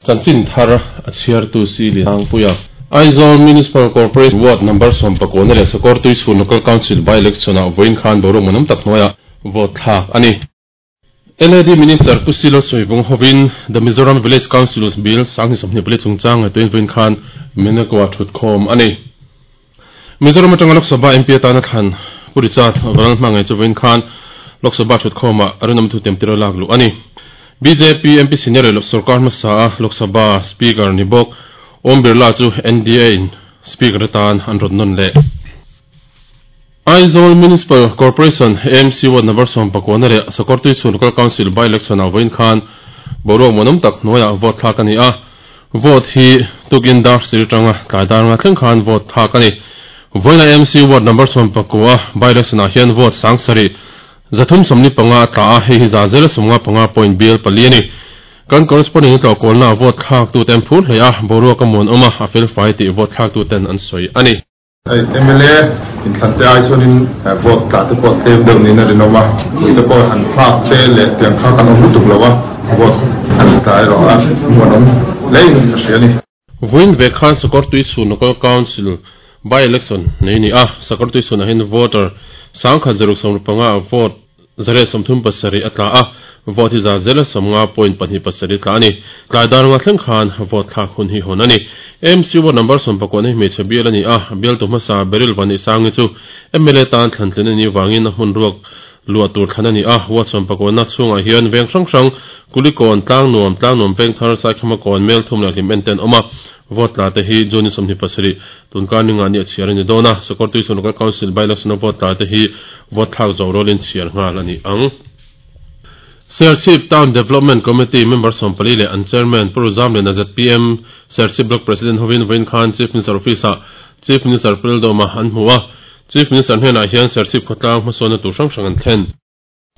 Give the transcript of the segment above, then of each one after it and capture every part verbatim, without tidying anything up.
Chanchin thar a chhiartu si Liangpuia. Aizawl Municipal Corporation Ward number sawm pakua leh Sakawrtuichhun Local Council by election ah vawiin khan boruak manawm tak hnuaiah vote thlak a ni. L A D Minister Pu Silo Sawivung hovin The Mizoram Village Councils Bill sanghnih sawmhnih pali chungchang ngaihtuahin vawiin khan Menakua thutkhawm a ni. Mizoram atanga Lok Sabha M P atana thlan Pu Richard Vanal hmangaih chu vawiin khan Lok Sabha thutkhawmah rinawm thu tem tir a lak luh a ni. B J P M P senior leh Sarkar hmasa a Lok Sabha Speaker ni bawk Om Birla chu N D A in Speaker atan an rawn nawn leh. Aizawl Municipal Corporation A M C Ward number sawm pakua leh Sakawrtuichhun Local Council by election ah vawiin khan boruak manawm tak hnuaiah vote thlak a ni a. Vote hi tukin dar sir tanga tlai dar nga thleng khan vote thlak a ni. Vawiin A M C Ward number sawm pakua by election ah hian vote sang sarih zathum sawmni panga a tla a, hei hi za zela sawmnga panga point bial pali a ni. Kan corresponding tlawh kawlna vote thlak tu ten phur hle a, boruak a muan awm a, a fel fai tih vote thlak tu ten an sawi a ni. M L A inthlan te ai chuanin vote tla te pawh tlem deuh niin a rinawm a, ui te pawh han thlak te leh tiang kha kan awm lutuk lo a, vote han tla erawh a muan awm hlein ka hria a ni. Vawiin ve khan Sakawrtuichhun Local Council by election nei ni a, Sakawrtuichhunah hian voter sangkhat zaruk sawmruk panga vote zare sawmthum pasarih a tla a, vote hi za zela sawmnga point pahnih pasarih tla a ni. Tlai dar nga thleng khan vote thlak hun hi hawn a ni. M C ward number sawm pakua hi hmeichhe bial a ni a, bial tu hmasa Beryl Vani Sangi chu M L A tan thlan tlin a ni wangin a hmun ruak lua tur thlan a ni a. Ward sawm pakua na chhungah hian veng hrang hrang Kulikawn tlang nuam tlang nuam peng thar Saikhama kawn mel thum leh hlim en ten awm a. Vote tla te hi June sawmhnih pasarih tunkar ninga ni a chhiar a ni dawn a. Sakawrtuichhun Local Council by election vote tla te hi vote thlak zo rolin chhiar nghal a ni ang. Serchhip Town Development Committee member sawm pali leh an chairman Pu Ruzam leh Z P M Serchhip Block President hovin vawiin khan Chief Minister Office ah Chief Minister Pu Lalduhoma an hmu a. Chief Minister hnenah hian Serchhip khawtlang hmasawnna tur hrang hrang an thlen.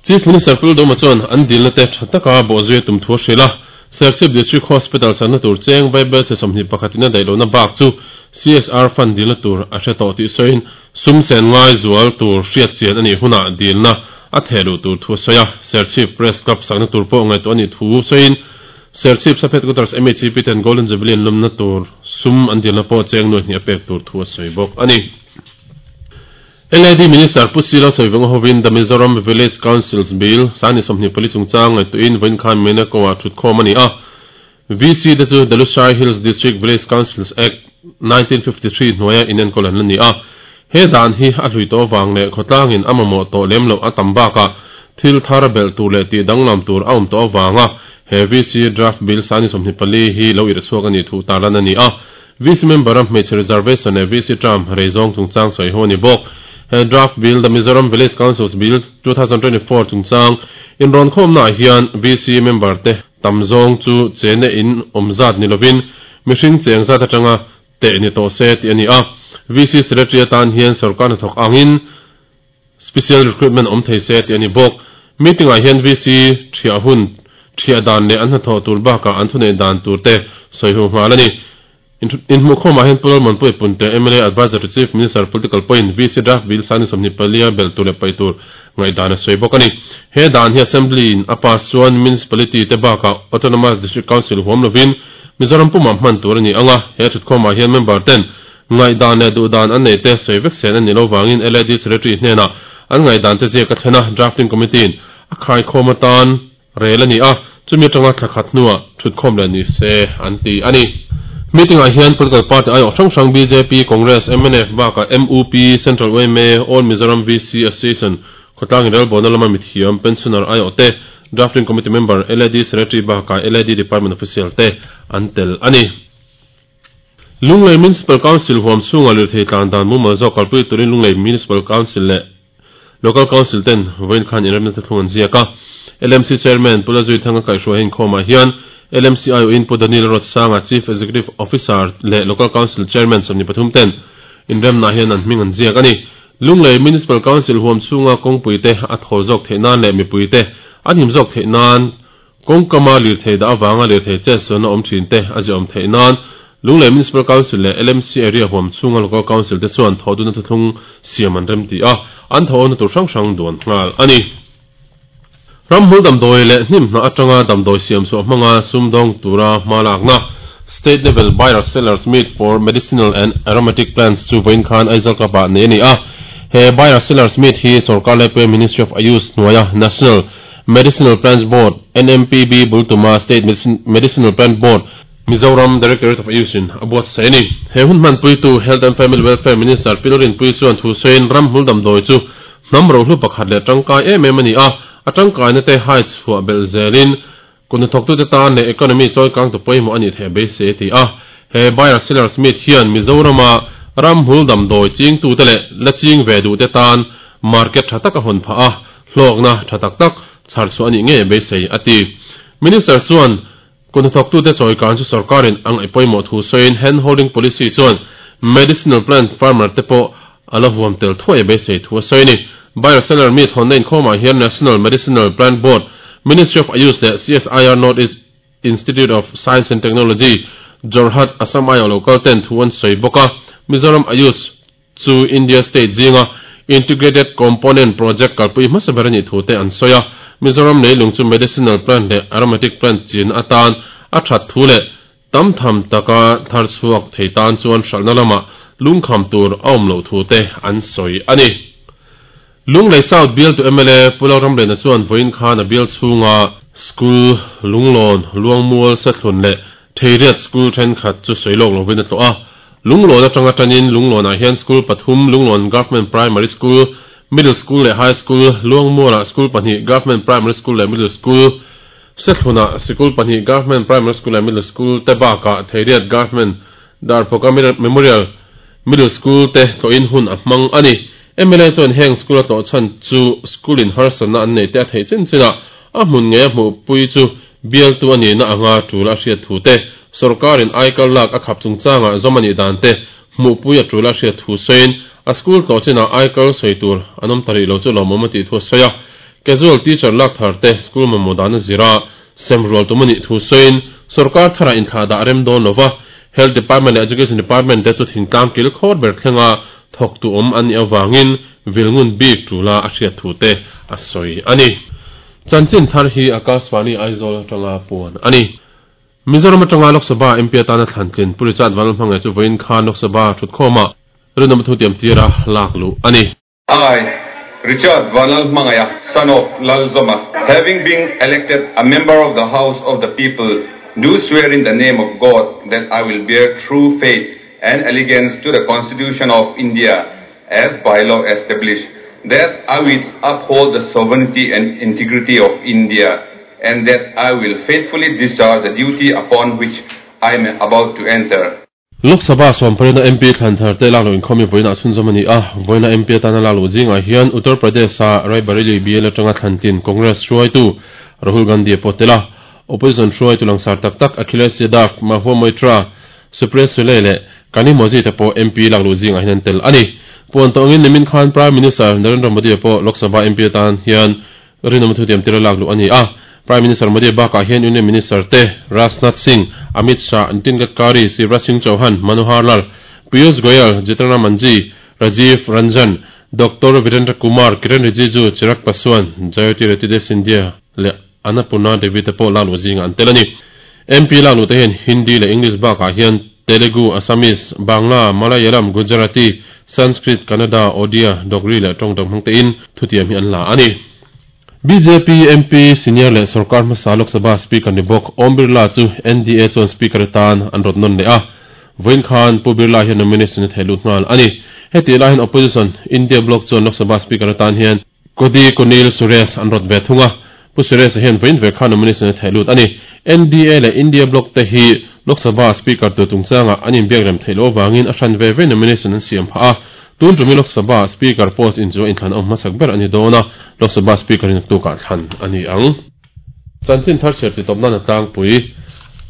Chief Minister Pu Lalduhoma chuan an dilna te tha taka bawhzui a tum thu a hrilh a. Serchhip District Hospital sakna tur cheng Vaibel chhe sawmhnih pakhatin a daih lohna bak chu C S R fund dilna tur a hre tawh tih sawiin sum sen ngai zual tur hriat chian a nih hunah dilna a thehluh tur thu a sawi a. Serchhip Press Club sakna tur pawh ngaihtuah a nih thu sawiin Serchhip Sub Headquarters M H C P ten Golden Jubilee an lawmna tur sum an dilna pawh cheng nuai hnih a pek tur thu a sawi bawk a ni. L A D Minister Pu Silo Sawivung hovin The Mizoram Village Councils Bill sanghnih sawmhnih pali chungchang ngaihtuahin vawiin khan Menako-ah thutkhawm a ni a. V C te chu The Lushai Hills District Village Councils Act nineteen fifty-three hnuaia inenkawl an la ni a. He dan hi a hlui tawh vang leh khawtlangin a mamawh tawh lem loh a tam bakah thil thar belh tur leh tih danglam tur a awm tawh avanga he V C Draft Bill sanghnih sawmhnih pali hi lo irhchhuak a nih thu tarlan a ni a. V C member a hmeichhe reservation leh V C term rei zawng chungchang sawi ho a ni bawk. He Draft Bill The Mizoram Village Councils Bill two thousand twenty-four chungchang inrawn khawmnaah hian V C member te tam zawng chu chene in awm zat ni lovin mihring cheng zat atanga teh ni tawh se tih a ni a. V C secretary atan hian sarkar hnathawk angin special recruitment awm thei se tih a ni bawk. Meeting ah hian V C thiah hun thiah dan leh an hnathawh tur bakah an thunei dan tur te sawi hu nghal a ni. In hmuh khawmah hian Pu Lalmuanpuia Punte M L A Advisor to Chief Minister Political Point V C Draft Bill sanghnih sawmhnih palia belh tur leh paih tur ngaihdan a sawi bawk a ni. He dan hi Assembly in a pass chuan Municipality te bakah Autonomous District Council huam lovin Mizoram pumah hman tur a ni anga. He thutkhawmah hian member ten ngaihdan leh duhdan an nei te sawi vek sen a ni lo wangin L A D Secretary hnenah an ngaihdan te ziak a thlen a, Drafting Committee in a khaikhawm atan rel a ni a, chumi atanga thlakhat hnuah thutkhawm leh ni se an ti a ni. Meeting ah hian political party ai awh hrang hrang B J P, Congress, M N F bakah M U P, Central U M A, All Mizoram V C Association, khawtlang inrelbawlna lama mithiam, pensioner ai awh te, Drafting Committee member, L A D Secretary bakah L A D Department official te an tel a ni. Lunglei Municipal Council huam chhunga lirthei tlan dan mumal zawk kalpui turin Lunglei Municipal Council leh Local Council ten vawiin khan inremna te thlung an ziak a. L M C Chairman Pu Lazui Thanga kaihhruai inkhawmah hian L M C I O in Pu Daniel Rotsanga Chief Executive Officer leh Local Council Chairman sawmhnih pathum ten inremna hian an hming an ziak a ni. Lunglei Municipal Council huam chhunga kawngpui te a thawl zawk theih nan leh mipui te an him zawk theih nan kawngkama lirthei dah awanga lirthei chetsualna awm thin te a ziah awm theih nan Lunglei Municipal Council leh L M C area huam chhunga Local Council te chuan thawhduna thuthlung siam an rem ti a, an thawhawna tur hrang hrang duan nghal a ni. Ramhmul damdawi leh hnim hna atanga damdawi siam chhuah hmanga sumdawng tura hma lakna State Level Buyer Sellers Meet for Medicinal and Aromatic Plants chu vawiin khan Aizawl Club ah nei a ni a. He Buyer Sellers Meet hi Sorkar Laipuia Ministry of Ayush hnuaia National Medicinal Plants Board, N M P B, bultuma State Medicinal Plant Board, Mizoram Directorate of Ayush in a buatsaih a ni. He hun hmanpuitu Health and Family Welfare Minister Pi Rinpuii chuan thu sawiin ramhmul damdawi chu hnam rohlu pakhat leh tangkai em em a ni a, a tangkaina te hai chhuah belh zelin kutnathawktute tan leh economy chawikang tu pawimawh a nih theih beisei a ti a. He Buyer Sellers Meet hian Mizorama ramhmul damdawi chingtute leh la ching ve duhte tan market tha tak a hawn phah a, hlawkna tha tak tak chhar chhuah a nih ngei beisei a ti. Minister chuan kutnathawktute chawikan chu sorkarin ang ngaih pawimawh thu sawiin hand holding policy chuan medicinal plant farmer te pawh a la huam tel thuai beisei thu a sawi a ni. Buyer Seller Meet hawnna inkhawmah hian National Medicinal Plant Board, Ministry of Ayush leh C S I R North East Institute of Science and Technology, Jorhat, Assam aiawh local ten thu an sawi bawk a. Mizoram Ayush chu India state zinga Integrated Component Project kalpui hmasa ber a nih thu te an sawi a. Mizoram leilung chu medicinal plant leh aromatic plant chin atan a that thu leh tam tham taka thar chhuak thei tan chuan hralhna lamah lungkham tur a awm loh thu te an sawi a ni. Lunglei South bial tu M L A Pu Lalramlena chuan vawiin khan a bial chhunga school Lunglawn, Luangmual, Sethlun leh Theiriat school thenkhat chu sawi lawk lovin a tlawh a. Lunglawn atanga tanin Lunglawnah hian school pathum Lunglawn Government Primary School, Middle School leh High School, Luangmualah school pahnih Government Primary School leh Middle School, Sethlunah sikul pahnih Government Primary School leh Middle School te bakah Theiriat Government Darphawka Memorial Middle School te tlawhin hun a hmang a ni. M L A chuan heng school a tlawh chhan chu school in harsatna an nei te a theih chin chinah a hmun ngei a hmuhpui chu bialtu a nihna anga tul a hriat thu te, sorkarin aikal lak a khap chungchangah zawm a nih dan te hmuhpui a tul a hriat thu sawiin a school tlawh chinah aikal sawi tur an awm ta rih lo chu lawmawm a tih thu a sawi a. Casual teacher lak thar te school mamawh dan a zira semrual tum a nih thu sawiin sorkar tharah inthlah dah rem dawn lova Health Department leh Education Department te chu thingtlang kil khawr ber thlenga thawk tu awm an nih awangin vilngun bik tula a hriat thu te a sawi a ni. Chanchin thar hi Akashvani Aizawl atanga puan a ni. Mizoram atanga Lok Sabha M P atana thlantlin Pu Richard Vanlalhmangaih chu vawiin khan Lok Sabha thutkhawmah rinawm thu tiam tira lak luh a ni. I, Richard Vanlalhmangaih, son of Lalzawma, having been elected a member of the House of the People, do swear in the name of God that I will bear true faith and allegiance to the Constitution of India as by law established, that I will uphold the sovereignty and integrity of India, and that I will faithfully discharge the duty upon which I am about to enter. Lok Sabha sawmparina M P thlanthar te lak lo inkhawmi vawiinah chhunzawm a ni a. Vawiina M P atana lak luh zingah hian Uttar Pradesh a Raebareli B L atanga thlantlin Congress hruaitu Rahul Gandhi a pawh tel a. Opposition hruaitu langsar tak tak Akhilesh Yadav, Mahua Moitra, Supriya Sule leh Kanimozhi te pawh M P lak luh zingah hian an tel a ni. Puan tawngin nimin khan Prime Minister Narendra Modi a pawh Lok Sabha M P atan hian rinawm thu tiam tira lak luh a ni a. Prime Minister Modi bakah hian Union Minister te Rajnath Singh, Amit Shah, Nitin Gadkari, Shivraj Singh Chauhan, Manohar Lal, Piyush Goyal, Jitendra Manji, Rajiv Ranjan, Doctor Virendra Kumar, Kiren Rijiju, Chirag Paswan, Jyotiraditya Scindia leh Annapurna Devi te pawh lak luh zingah an tel a ni. M P lak luh te hian Hindi leh English bakah hian Telugu, Assamese, Bangla, Malayalam, Gujarati, Sanskrit, Kannada, Odia, Dogri leh tawng dang hmang tein thutiam hi an la a ni. B J P M P senior leh Sarkar hmasa Lok Sabha Speaker ni bawk Om Birla chu N D A chuan Speaker atan an rawt nawn leh a. Vawiin khan Pu Birla hian nomination a thei lut nghal a ni. Heti lai hian opposition India Bloc chuan Lok Sabha Speaker atan hian Kodi Konil Suresh an rawt ve thung a. Pu Suresh hian vawiin ve khan nomination a thei lut a ni. N D A leh India Bloc te hi Lok Sabha Speaker tu chungchanga an inbiak rem theih loh awangin a hran ve ve nomination an siam phah a. Tun tumi Lok Sabha Speaker post in chu inthlan awm hmasak ber a ni dawn a. Lok Sabha Speaker in tukah thlan a ni ang. Chanchin thar chher ti tawp nan a tlangpui.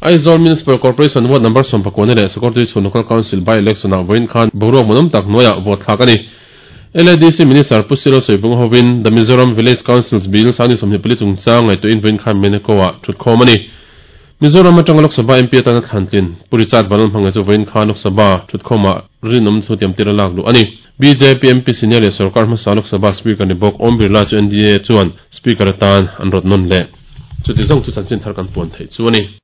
Aizawl Municipal Corporation ward number sawmpakua leh Sakawrtui chhun Local Council by election ah vawiin khan boruak manawm tak hnuaiah vote thlak a ni. L A D C Minister Pu Silo Soivung hovin The Mizoram Village Councils Bill sangni sawmhnih pali chungchang ngaihtuahin vawiin khan Meneko ah thutkhawm a ni. Mizoram atanga Lok Sabha M P atana thlantlin Pu Richard Vanlalhmanga chu vawiin khan Lok Sabha thutkhawmah rinawm thu tiam tir a lak luh a ni. B J P M P senior leh sarkar hmasa Lok Sabha Speaker ni bawk Om Birla chu N D A chuan Speaker atan an rawt nawn leh. Chuti zawng chu chanchin thar kan puan theih chu a ni.